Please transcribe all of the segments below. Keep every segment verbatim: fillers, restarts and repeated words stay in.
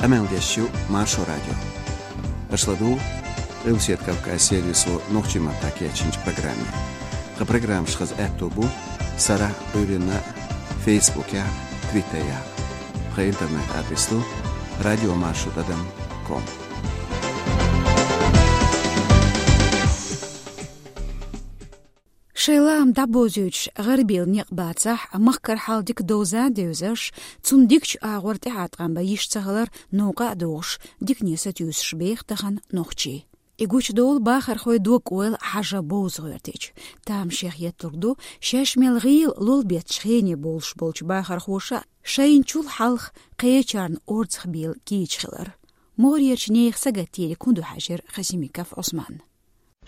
Къамел деш ю Маршо радио. Аша ладугӀу Къилбаседа Кавказ сервисо нохчийн маттахь кечйинчу программе. Тхан программаш хаза аьтто бу сарахь, Ӏуьйранна, Фейсбукехь, Твиттерехь. Тхан интернет-адрес ду радиомаршо тӀадам ком. Шайн лаам дӀабозуьйтуш гӀарабевлла некъ бацахь, махкара хьал дика довза а девзаш, цунна дикачу агӀор тӀаьхьатакхам бан йиш ца хилар новкъа а догӀуш, дикане сатуьйсуш беха тахана нохчий. И гучудолу бахархойн дог-ойла хьажа бовза гӀоьртича. Тамашех етталург ду, шаьш мел гӀийла лолбетташ хене бовлуш болчу бахархоша шайна чул хьалха кхечарна орцах бийла кийча хилар. МогӀарерчу нехан сагатдийриг хӀун ду хьаьжира Хасимиков Ӏусманна.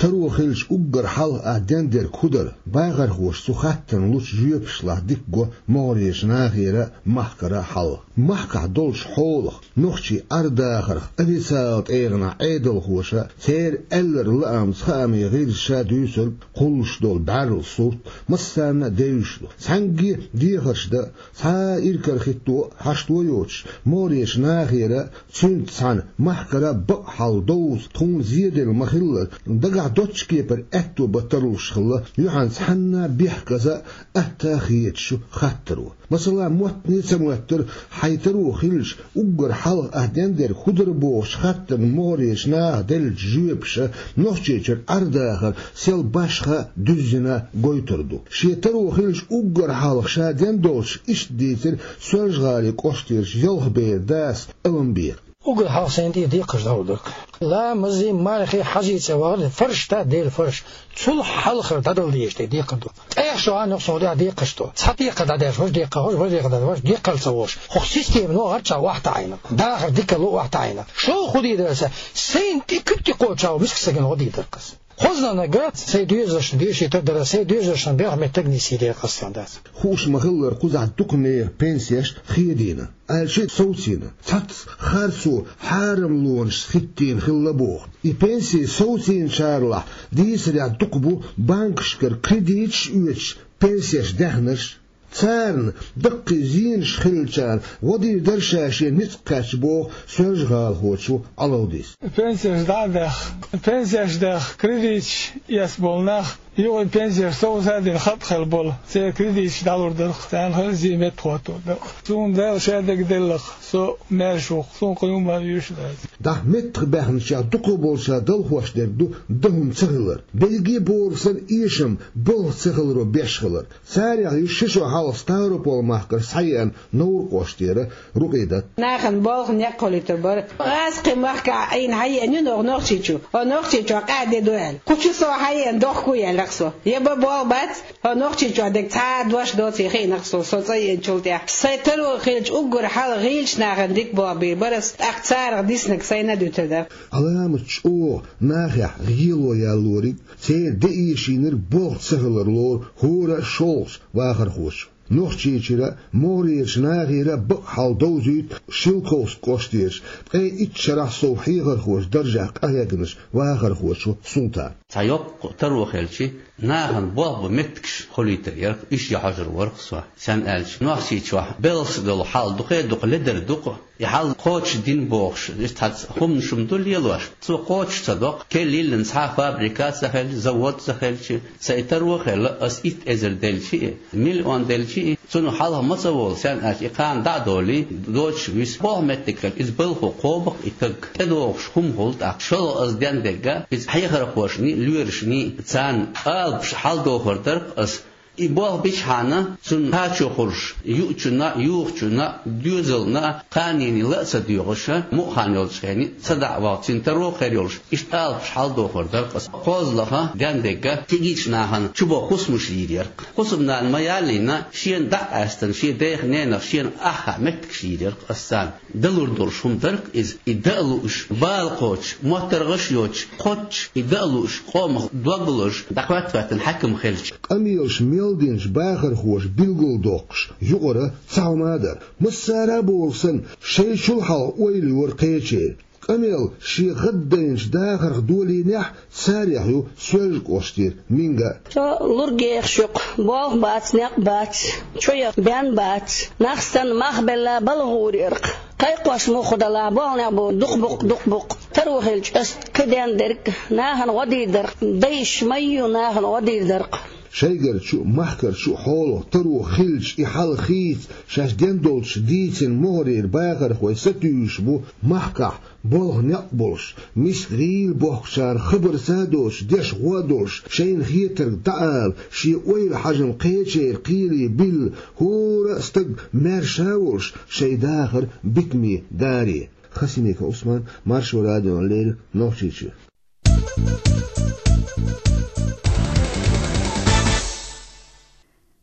Таро хилча уггар хьалха ахь дендерг хӀун дара? Бахархоша цу хаттарна лучу жоьпашлахь дика го могӀарерчу нахера а, махкара а хьал. Махкахь долчу хьолах, нохчийн Ӏер-дахарх, официалан тӀегӀанехь Ӏедалхоша, церан аьлларг лаамца хаамийн гӀирсаша дуьйцург, кхуллуш долу бӀаьрла сурт массарна а девзаш ду. Цхьаьнгге а дехарш дан, цхьа а иракарахӀитто а хьашто йоцуш, могӀарерчу нахера а, цуьнца цхьаьна махкара а бакъ хьал довза тхуна зеделла ма-хиллара, дагахь доцчу кепара аьтто бан тарлуш хилла, юьхьанца хьанна а бехказа а, атта а хеташ ю хаттаро. Масала, моттане а ца моьттура, хьайн таро хилча, уггар хьалха ахь дендерг хӀун дара бохучу хаттарна могӀарерчу наха деллачу жоьпаша Нохчийчуьра Ӏер-дахар сел башха а, дуьззина а гойтур ду. Шен таро хилча уггар хьалха ша дендолчух иштта дийцира Соьлжа-ГӀалин кӀоштарчу Ялхберан дас Аламбека. Уггар хьалха сайна тӀера декхарш далур дара. Ламазе, мархе, хьажцӀа вахар, фарш да, Делан фарш. Цул хьалхара дӀадала дезаш дерг декхар ду. ТӀехь шо а нохчо дехьа декхарш ду. Цхьа декхар дӀадаьлча, важа декхар, важа декхар дӀадаьлча, важа декхар ца волуш. ХӀокху система нохчарчохь охьатаӀийна. Дахар дикалла охьатаӀийна. Шо хӀун дийр дара аса? Сайна тӀе куьг тӀекхочуш мискачу стагана гӀо дийр дара аса. Хозанан гӀа сайн доьзалшна дешийтар дара, сайн доьзалшна бехк меттиг нисйийр яра аса сан дас. Хууш ма-хиллара, кхузахь дукха нехан пенсеш хедийна, аьлча а совцийна. Цхьацца харцо хьарамлонашца хӀиттийна хилла боху. И пенси совцийначарлахь дийцарехь дукха бу банкашкара кредиташ а оьцуш пенсеш даьхнарш. Царна даккхий зенаш хиллачарна гӀо дийр дара ша шен ницкъ кхаьчча боху Соьлжа-ГӀалахочо Ӏалавдис. Пенсеш дӀа а даьхна, пенсеш даьхна, кредиташ эцна болу нах, юха пенсеш совца а дина, хатӀ хилла болу, церан кредиташ дӀалур дара-кх, царна хаза зен меттахӀоттор дара-кх. Суна Дала шен дерг делла-кх, со маьрша ву-кх, суна кхин хӀумма а оьшуш дац. ДӀа меттахбаьхначех дукхахболчара далхош дерг ду дан хӀума ца хилар, берриге а бохург санна эшам, болх ца хиларо беш хилар. Царех ю ши шо хьалха Ставрополь-махкара схьаеана Невран кӀоштара Рукъидат. Нахана болх, некъ хуьлуьйтур бара. Аса кхин махкахь Ӏийна хьаеана ю оха Нохчийчу. Хьо Нохчийчохь къаьхьа де ду аьлла. Кху чу со хьаеана дохко яьлла-кх со. Я бан болх бац, хьо Нохчийчохь дерг цхьа а дош доций хиъна-кх со, со цӀа еанчул тӀаьхьа. Сайн таро хилча уггар хьалха гӀийлачу нахана дика болх бийр бара ас, тӀаккха царах диснарг сайна а дуьтур дара. Ӏаламат чӀогӀа нахехь гӀело ялориг, церан де эшийнарг болх ца хилар лору хӀора а шолгӀачу вахархочо. Нохчийчуьра а, могӀарерчу нахера а бакъ хьал довзуьйту Шелковски кӀоштарчу ткъе итт шарахь сов хьехархочун даржехь къахьегначу вахархочо Султана. Цхьа йоккха таро хилча, нахана болх бан меттигаш хуьлуьйтур яра-кх, уьш ян хьожур вара-кх со. Стенна аьлча, Нохчийчохь белхаш долу хьал дукха а дукха ледар ду-кх. И хьал кхочушдина бохуш, иза цхьацца хӀуманаш-м ду лелош. Цо кхочуш ца до-кх, керла йиллина цхьа а фабрика а ца хилча, завод а ца хилча, сан и таро а хилла, ас итт эзар делча а, миллион делча а, цунах хьалха ма ца волу, стенна аьлча, и кхана дӀа а долий, доцуш виса. Болх меттиг хилча, иза балхо кхоба-кх и стаг. ТӀедогӀуш хӀума хуьлу тӀаккха. ШолгӀа ас дендерг а, иза хьехархошний, лоьрашний, царна алапаш хьаладохур дара-кх ас. И болх бичхьана, цунна кхачо хуьлуш, юучунна а, юхучунна а, доьзална а, кханенна ла а ца доьгӀуш, мукъа хан йолчу хенахь, ца дӀа а вахча, цуьнан таро а хир йолуш, иштта алапаш хьаладохур дара-кх ас. КхозлагӀа, дендерг а, кегийчу нахана чубаха хӀусамаш йийр яра-кх. ХӀусамнана ма ялийна, шена дӀа а къаьстина, шен дех-ненах шена аххьа меттигаш йийр яра-кх ас царна. Далур долуш хӀума дара-кх иза, и дан а лууш, бала кхочуш, моттаргӀаш а йоцуш, кхоччуш, и дан а лууш, къомах дог а лозуш, дӀахӀоьттина хьаькам хилча. Къамелаш мел динчу бахархоша билгалдоккхуш юкъара цхьа хӀума а дара. Массара а бохург санна, шайчул хьалха ойла йора кхечеран. Къамел шен гӀаддайначу дахарх долийнехь, царех ю Соьлжа кӀоштара Минга а. Со лург ехаш ю-кх, болх бац, некъ бац, чоьх бен бац, нах санна мах белла балха гӀур яра-кх. Кхайкхош муха далахь, болх некъ бу, дукха бу-кх, дукха бу-кх. Таро хилча, ас каден дерг, нахана гӀо дийр дар-кх, дайша ма ю нахана гӀо дийр дар-кх. Шайгара чу, махкара чу хьолах таро хилча, и хьал хийца, шаьш ден долчу дийцина могӀарера бахархой сатуьйсуш бу махкахь болх некъ болуш, миска гӀийла бохкучара хабар ца доцуш, деш гӀо а долуш, шайна хетарг дӀаала, шен ойла хьажам кхечеран кхеле билла, хӀора а стаг маьрша а волуш, шайн дахар битаме даре. Хасимиков Ӏусман, Маршо радиона леррина, Нохчийчоь.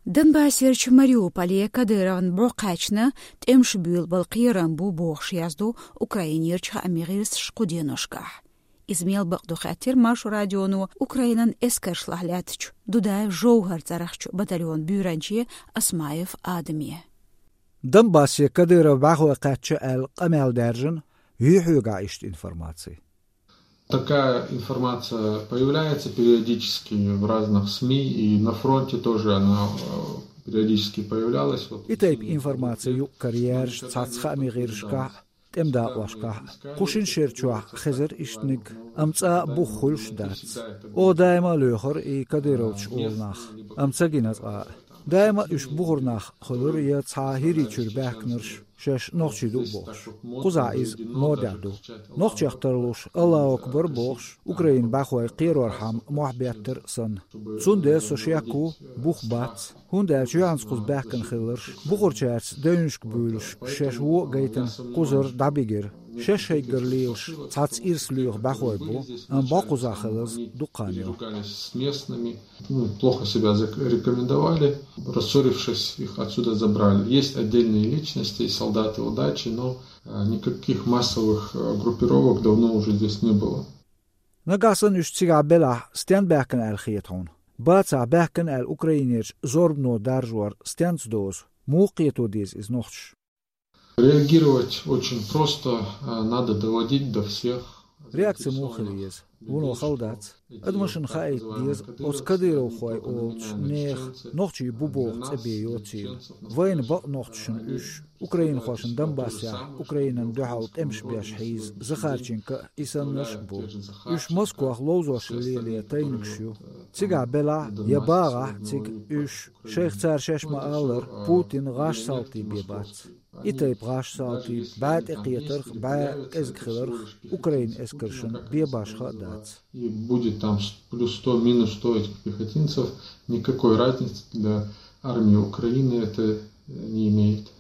Донбассерчу Мариуполе Кадыровн бӀо кхаьчна, тӀемаш буьйлабала кхерам бу бохуш яздо Украинерчу хаамийн гӀирсаша кху деношкахь. Иза мел бакъ ду хаьттира Маршо радионо Украинан эскаршлахь лаьттачу Дудаев ЖовхӀар цӀарахчу батальонан буьйранче Осмаев Адаме. Донбассе Кадыров бӀаьхой кхаьчна аьлла къамел даьржина, юй хьоьгахь иштта информаци? Такая информация появляется периодически в разных СМИ, и на фронте тоже она, э, периодически появлялась. Вот И тайпа информаци юкъ-кара яьржа цхьацца хаамийн гӀирсашкахь а, тӀеман дакъошкахь а. Кху шина шера чохь хезара ишттаниг, амма цкъа а бух хуьлуш дац. Оха даима а лоьхура и кадыровцаш олу нах, амма ца гина цкъа а. Даима а уьш бухара нах хуьлура я цхьа хӀирий чуьра баьхкинарш, шаьш нохчий ду а бохуш. Кхузахь иза модехь ду. Нохчех тарлуш, Аллаху акбар бохуш, Украинан бӀаьхой кхерорхьама мохь беттара а санна. Цундела со шек ву, бух бац, хӀунда аьлча юьхьанца кхуза баьхкина хилларш, бухарчаьрца девнашка буьйлуш, шаьш вон а гайтина, кхузара дӀабигира. Шаьш шайгара лелаш, цхьацца ирс лоьху бӀаьхой бу, амма бӀо кхузахь хиларза дукха хан ю. Ругались с местными, ну, плохо себя зарекомендовали, рассорившись, их отсюда забрали. Есть отдельные личности, солдаты удачи, но, э, никаких массовых, э, группировок давно уже здесь не было. Нагахь санна уьш цигахь белахь, стенна баьхкина аьлла хета хьуна? Бацахь, баьхкина аьлла Украинерчу зорбано даржор стенца дозу? Муха кхето деза иза нохчаша? Реагировать очень просто, а, надо доводить до всех. Реакция муха хила еза? Вуно хала дац. Адамашна хаийта деза, оцу кадыровхой олучу нехан нохчий бу боху цӀе бен йоцийла. Вайна бакъ нохчашна уьш, украинхошна Донбассехь Украинан дуьхьал тӀемаш беш хьийза Захарченко а, и саннарш а бу. Уьш Москвахь ловзош лелае тайнигаш ю. Цигахь белахь я багӀахь цига уьш, шайх цара шаьш ма-аллара, Путин гӀаш салти бен бац. И тайпа гӀаш салти, бӀаь тӀекхетарх, бӀаь кӀезиг хиларх Украин эскаршна бен башха а дац. И будет там с-, плюс сто, минус сто этих пехотинцев, никакой разницы для армии Украины это, э, не имеет.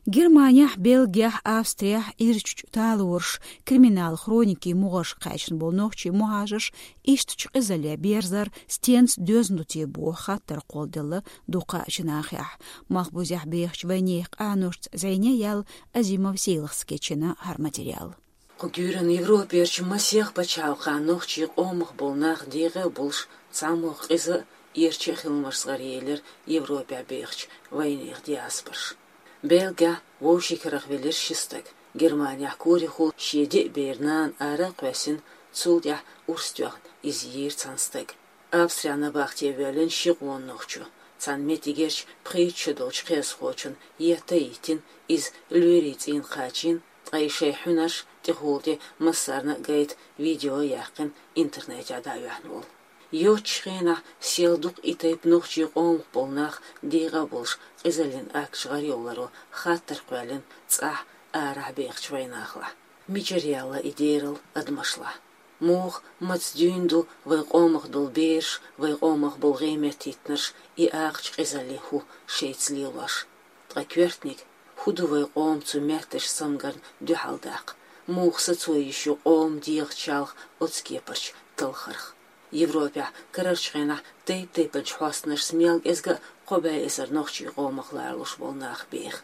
Германехь, Бельгехь, Австрехь, Ирчачу талораш, криминал хроникийн мугӀаршка кхаьчна болу нохчий мухӀажарш ишттачу къизалле берзар стенца доьзна ду те боху хаттар кхолладелла дуккха а чу нахехь. Малхбузехь бехачу вайнехан къаношца зӀене яьлла Азимов Сейлхас кечйина хӀара материал. Кху куьйранна Европерчу масех пачхьалкхехь нохчийн къомах болу нах декъе а болуш, цхьамогӀа къиза а, эрча а хиламаш гӀаръелира Европехь бехачу вайнехан диаспораша. Бельгехь вовшийн карах велира ши стаг. Германехь корехула шен деа бер нана ара а кхоьссина, цул тӀаьхьа урс тоьхна иза йийра цхьана стага. Австрехь набахте воьллина ши къона нохчо. Цхьана меттигерчу пхийтта шо долчу кхиазхочунна етта а йиттина, иза лоьрийн цӀийна кхачийна, ткъа и шайн хьуьнарш тӀехула тӀе массарна а гайта видео а яьккхина, интернетехь дӀа а оьхна волу. Йоцучу хенахь сел дукха и тайпа нохчийн къомах болу нах декъа а болуш, къизаллин акташ гӀарйоларо хаттар кхоьллина цӀахь а, арахь а бехачу вайнахалахь. Мичара яьлла и дерал адамашлахь? Муха, маца дуьйна ду вайн къомах долу бераш, вайн къомах болу гӀеметтийтинарш и акхачу къизаллин хӀу шайца лелош? Ткъа коьртаниг, хӀун ду вайн къома цу метташа цамгарна дуьхьал даккха? Муха сацо йиш ю къоман дегӀан чалха оцу кепарчу талхарх? Европехь карарчу хенахь тайп-тайпанчу хьостанашца мел кӀезга а кхо бӀе эзар нохчийн къомах ларалуш болу нах беха.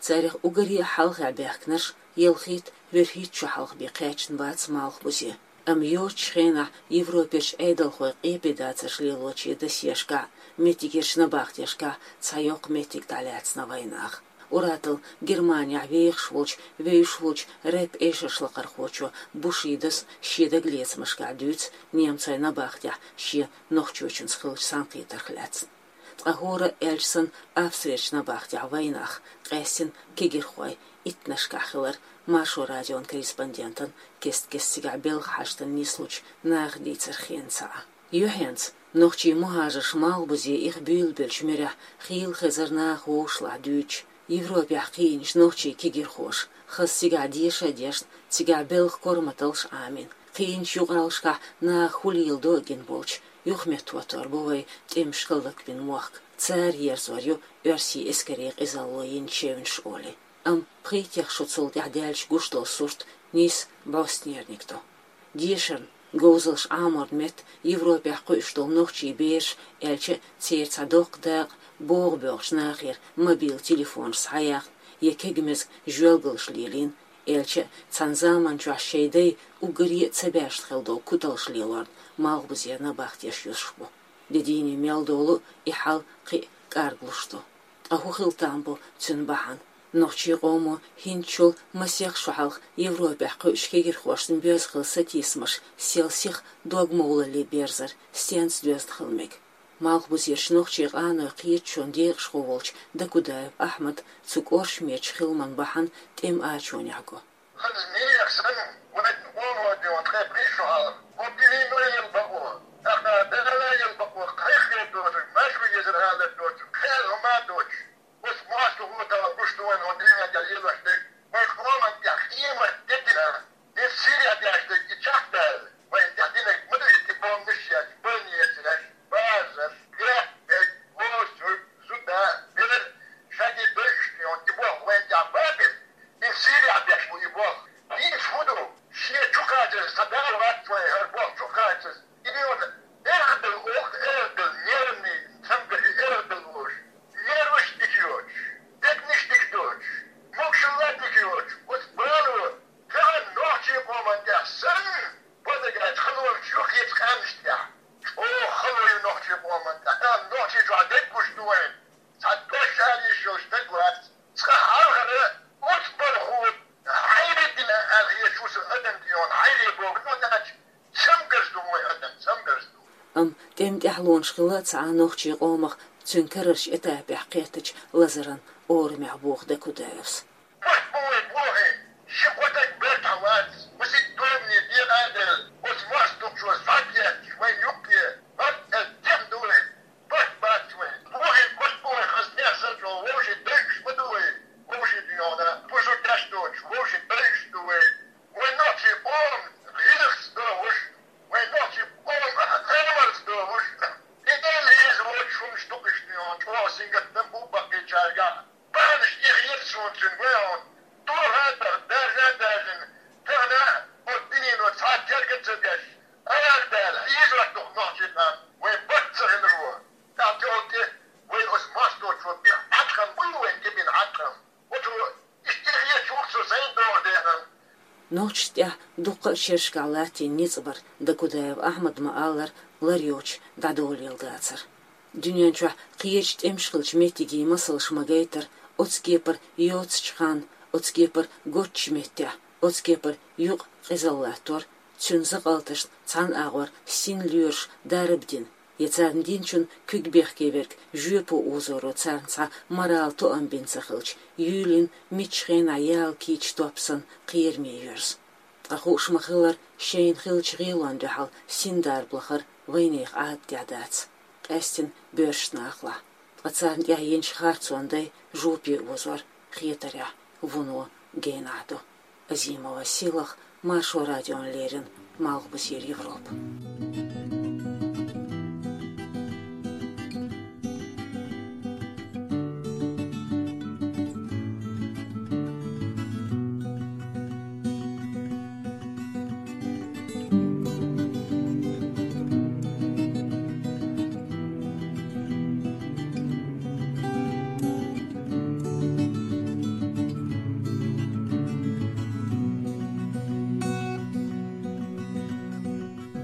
Царах уггаре а хьалха баьхкинарш ялхитта-вуьрхӀитта шо хьалха бен кхаьчна бац Малхбузе. Амма йоцучу хенахь Европерчу Ӏедалхойн къепедацарш лелочийн досьешкахь а, меттигерчу набахтешкахь а цхьа йоккха меттиг дӀалаьцна вайнах. Ур-атталла Германехь вехаш волчу, вевзаш волчу рэп-эшаршлакхархочо Бушидос шен дагалецамашкахь дуьйцу немцойн набахтехь шен нохчочунца хиллачу цхьаьнакхетарх лаьцна. Ӏа хӀора а аьлча санна, Австрерчу набахтехь вайнах, къаьстина кегирхой, иттаннашкахь хилар, Маршо радион корреспондентан кест-кеста цигахь белхан хьаштана нислучу наха дийцарх хенца Ӏа. Юьхьанца нохчийн мухӀажарш Малхбузе иха буьйлабеллачу муьрехь хийла хезара наха вовшашлахь дуьйцуш, Европехь кхиъначу нохчийн кегирхоша, хаза цигахь деша а дешна, цигахь белхан корматаллаш а Ӏамийна, кхиъначу юкъараллашкахь наха хӀун леладо а гина болчу юхаметтахӀоттор бу вай тӀемашкахь лакбина мохк, цара ерзор ю оьрсийн эскарийн къизалло йина чевнаш олий. Амма пхийттех шо цул тӀаьхьа даьлча гуш долу сурт нийса бӀостанерниг ду. Дешарна, говзалш Ӏаморна метта Европехь кхуьуш долу нохчийн бераш, аьлча а церан цхьа доккха дакъа богӀу боьлхучу нахера мобил телефонаш схьаяьхна я кегамеза жоьлгалш лелийна, аьлча а цхьана заманчохь шайн дай уггаре а ца баьшна хилла долу куталш лелорна Малхбузера набахтеш юьсуш бу. Де дийне мел долу и хьал кхин а кӀарглуш ду. Ткъа хӀун хила там бу цуьнан бахьана? Нохчийн къомо хӀинцачул масех шо хьалха Европехь кхуьучу кегирхошна боьзна хилла сатийсамаш сел сиха догмовлале берзар стенца доьзна хила мега? Малхбузерчу нохчийн къанойн кхеташонан декъашхо волчу Дакудаев Ахьмада цу кӀоршамечу хиламан бахьана тӀеман ачонехь го. Хаза нехан санна, вайн къоман дуьйна тхайн пхи шо хьалха, хӀокху дуьненан а елла бакъо, тӀаккха Дала елла бакъо, кхайкхийна доцург, маьрша ву иза алар доцург, кхел хӀума а доцуш, оцу мостагӀчо тахана гуш ду вайна хӀокху дуьнен тӀехь лелош дерг, вайн къоман тӀехь къемат де дина, иза сирехь деш дерг, и чекхдала, вайна тӀехь динарг ма ду иза, и бомбанаш еш, больницаш, базарш, грехь дерг, мостагӀ, зуда, бер, шаьш дойуш дуьйна, и боху вайна тӀехь бакъ иза. Иза сирехь беш бу и болх. Дийца хӀун ду? Шен чу кхачаза, сан дагӀа вац вайн хӀара болх чу кхачаза. И дуьйна эргадала оха, эргадала нервный, цамгарш эргадала волуш. Нерваш дика йоцуш, дегнаш дика доцуш, могашалла дика йоцуш, оцу бало тахана нохчийн къоман тӀехь санна, базаргахь халонаш ю кхечу къаьмнаш тӀехь. ЧӀогӀа хало ю нохчийн къоман тӀехь. Тахана нохчийн чохь дерг гуш ду вайна. Цхьа дош ала йиш йолуш стаг вац. Цкъа хьалхара оцу балхо хьайре дина аьлла хеташ ву сан адам тӀе йогӀу, хьайре боху, ну, даьлча, цамгарш ду вайн адам, цамгарш ду. Амма тӀеман тӀаьхьалонаш хилла а ца Ӏа нохчийн къомах, цуьнан карарчу этапехь кхеттачу лазаран орамехь боху Дакудаевс. Барт бу вайн бохий, ши-кхо стаг бертахь вац, масийтта догане декъа а делла, оцу мостагӀчо схьа а кхетташ, вайн юккъе барт а тем ду вайн. Барт бац вайн. Бохий, барт бу вайн, хаза нехан санна чӀогӀа вовшийн дайгаш ма ду вай. Вовшийн дуьйна бусург деш доцуш, вовшийн дайгаш ду вай. Вайн нохчийн къоман гӀиллакхца догӀуш, вайн нохчийн къоман амалца догӀуш, тӀе а леза воцуш хӀуманаш ду кху иштта дуьйна, чӀогӀа сингаттам бу баккхийчаьргахь. Бахьанаш тӀехь еза суна цуьнан вай хьуна. Тоха а тоьхна, даьржа а даьржина, тахана оцу дуьнено цхьа а терга а ца деш, Ӏаьрга даьлла, хьийзош ду-кх нохчийн къам, вайн барт ца хиларо. ТӀаккха тӀехула тӀе вай оцу мостагӀчо бина хьаткъам буй вайн тӀе бина хьаткъам? Оцо иштта тӀехьа хеташ ву-кх со сайна догӀу дехьа. Нохчашна тӀехь дуккха а шерашкахь латтийна ницкъ бар, Дакудаев Ахьмада ма-аллара, лар йоцуш дӀадолаелла дацара. Дуьнен чохь кхечу тӀемаш хиллачу меттигийн масалш ма-гайтара, оцу кепара йоццачу ханна, оцу кепара готтачу меттехь, оцу кепара юкъа къизалла латтор, цуьнан закъалташна цхьана агӀор син лоьраш дарба дина, я царна динчун куьг бехке верг жоьпо озоро царна цхьа морал тоам бина ца хилча, юьйлина миччу хенахь яла кийча топ санна кхераме йоьрзу. Ткъа хууш ма-хиллара, шайна хиллачу гӀелонна дуьхьал син дарба лахар вайнехан Ӏадатехь дац, къаьстина боьршачу нахалахь. Ткъа царна тӀехь йинчу харцонан дай жоьпе озор хетарехь вуно генахь ду. Азимова Сийлаха, Маршо радиона леррина, Малхбузера Европа.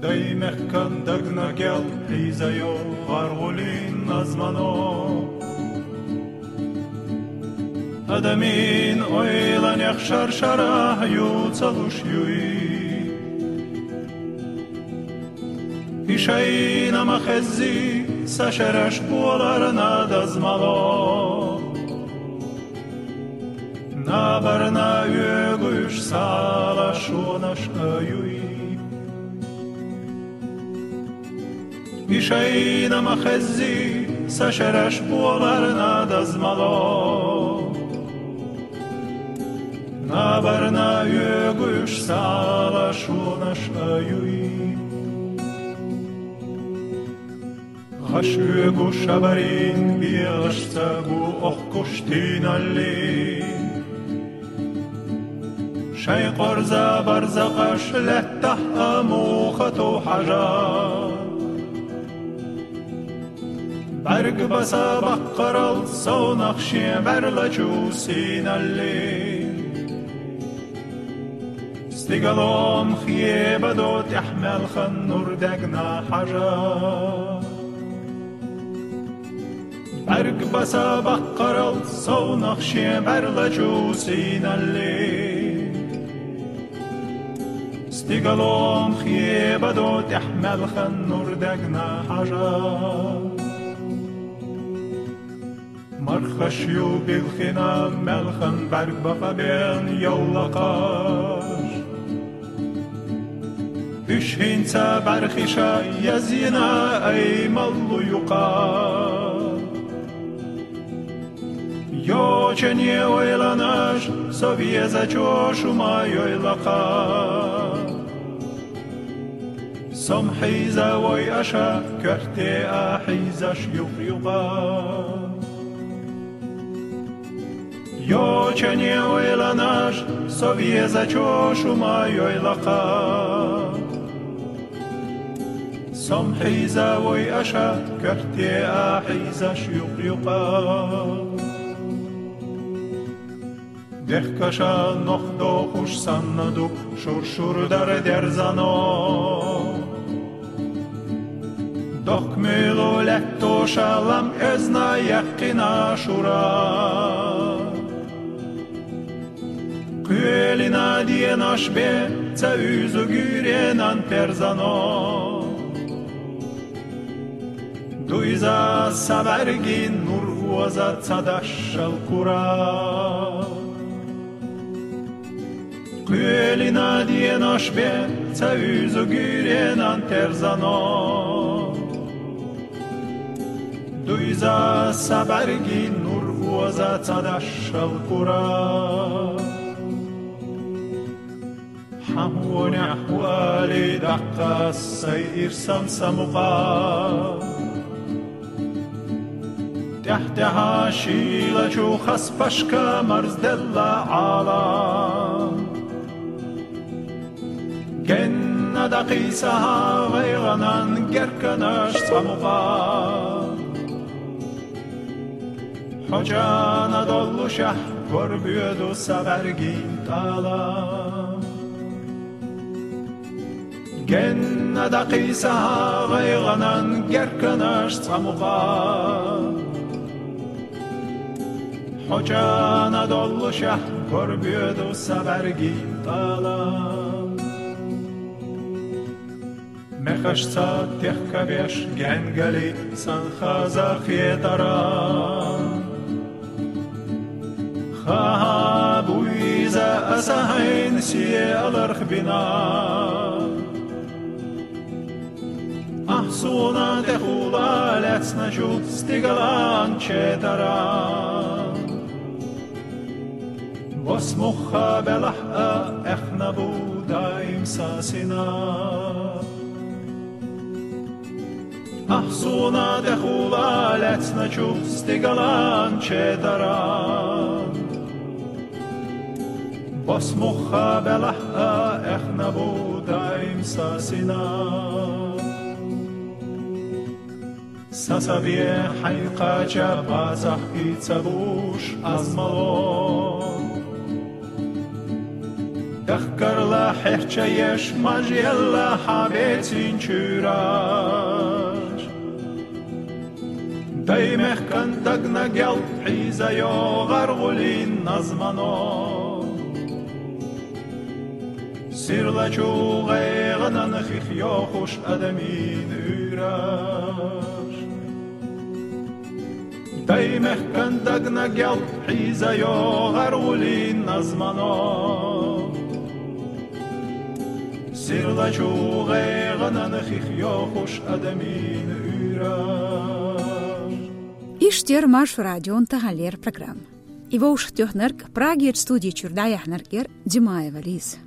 Даймехкан дагна кел хьийзайо гӀаргӀулин назмано. Адамийн ойланех шар-шарахь юцалуш юй. И шайна ма хеззий, Са шераш боларна даз мало. Набарна оьгуш сала шонаш а юй. И шайна ма хеззи, са шераш боларна даз мало. Набарна оьгуш сала шонаш а юй. ГӀаш оьгу шабарин бегӀашца гу охкуш тийналли. Шай къорза барзакъаш лаьттахь а муха тов хьажа. БӀарг баса баккхарал совнах шен бӀаьрла чу сийналли. Стигалом хебадо тӀехь маьлхан нур дегна хьажа. БӀарг баса баккхарал совнах шен бӀаьрла чу сийналли. Стигалом хебадо тӀехь маьлхан нур дегна хьажа. Мархаш ю билхина маьлхан бӀарг бакъа бен йовлакхаш. Уьш хӀинца бӀархиша язйина ай маллу юкъа. Йочане ойланаш со везачо шу ма йойла кха. Сом хьийза вой аша, коьрте а хьийзаш юкъ-юкъа. Йочане ойланаш со везачо шу ма йойла кха. Сом хьийза вой аша, коьрте а хьийзаш юкъ-юкъа. Дехкаша нох дохуш санна ду шур-шур дар дерзано. Дохк муьйлу лаьттоша лам эзна яьккхина шура. Кхоьлина денош бен ца уьйзу гуьйренан терзано. Дуйза са бӀаргин нур оза ца дашшал кура. Кхоьлина денош бен ца уьйзу гуьйренан терзано. Дуйза са бӀаргин нур оза ца дашшал кура. Хьан хьонехь ву али даккха сай ирсан са мукъа. ТӀаьхь-тӀаьхьа шийла чу хас пашка марзделла Ӏала. Генна дакхийса гӀайгӀанан герканаш цкъа мукъа. Хьо чӀана доллушехь, корбоьду са бӀаргин тӀала. Генна дакхийса гӀайгӀанан герканаш цкъа мукъа. Хьо чӀана доллушехь, корбоьду са бӀаргин тӀала. Мехашца техкабеш генгали сан хаза хетара. Ха-ха, буйза аса хьайн сиаларх бина. Ахь суна тӀехула лаьцначу стигалан четара. Бос мухха белахь а, эхна бу даим са сина. Ахь суна тӀехула лаьцначу стигалан четара. Бос мухха белахь а, эхна бу даим са сина. Сан са бен хьайн кхача бацахь и ца буш аз мало. Дахкарла хьерча еш маж елла хьан бецин чуьраш. Дай мехкан дагна гел хьийза йо гӀаргӀулин назмано. Сирлачу гӀайгӀанан хих йохуш адамийн уьйраш. Таймехкан дагна гел хьиза йогӀар гӀулин назмано. Сирла чу гӀайгӀанан хих йохуш адамин уьйра. Ишттер Маршо радион таханлера программа. И вовшахтоьхнарг, Прагерчу студи чуьра дӀаяьхьнарг яра Димаева Лиза.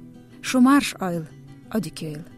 Шу марша Ӏойла, Ӏодика йойла.